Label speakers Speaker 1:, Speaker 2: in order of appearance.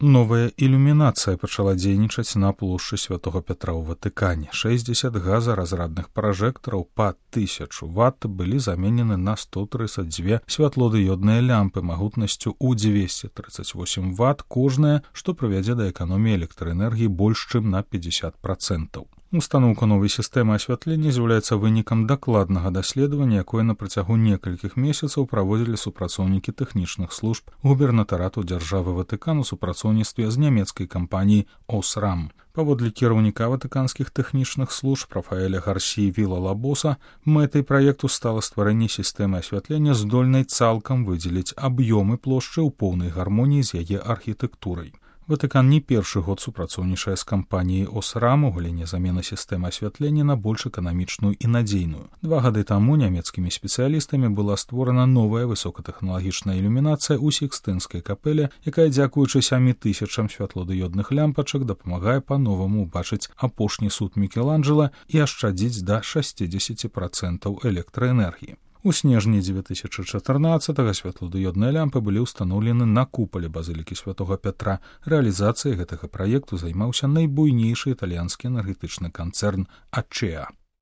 Speaker 1: Новая ілюмінацыя пачала дзейнічаць на плошчы Святого Пятра ў Ватыкане. 60 газаразрадных пражэктараў па 1000 Вт былі заменены на 132 святлодыёдныя лямпы магутнасцю ў 238 Вт кожная, што прывядзе да эканоміі электраэнергіі больш чым на 50%. Устаноўка новай сістэмы асвятлення з'яўляецца вынікам дакладнага даследавання, якое на працягу некалькіх месяцаў праводзілі супрацоўнікі тэхнічных служб губернатарату дзяржавы Ватыкан у супрацоўніцтве з нямецкай кампаніяй «Осрам». Паводле кіраўніка ватыканскіх тэхнічных служб Рафаэля Гарсіі Віла-Лабоса, мэтай праекту стала стварэнне сістэмы асвятлення, здольнай цалкам выдзеліць аб'ёмы плошчы ў поўнай гармоніі з яе архітэктурай. Ватыкан не першы год супрацоўнічае з кампаніяй «Осрам» у галіне замены сістэмы асвятлення на больш эканамічную і надзейную. 2 гады таму нямецкімі спецыялістамі была створана новая высокатэхналагічная ілюмінацыя ў Сікстынскай капэле, якая, дзякуючы 7000 святлодыёдных лямпачак, дапамагае па-новаму ўбачыць апошні суд Мікеланджэла і ашчадзіць да 60% электраэнергіі. У снежні 2014-го святлодыёдныя лямпы былі ўстаноўлены на купале базылікі Святога Пятра. Рэалізацыяй гэтага праекту займаўся найбуйнейшы італьянскі энергетычны канцэрн «Ачеа».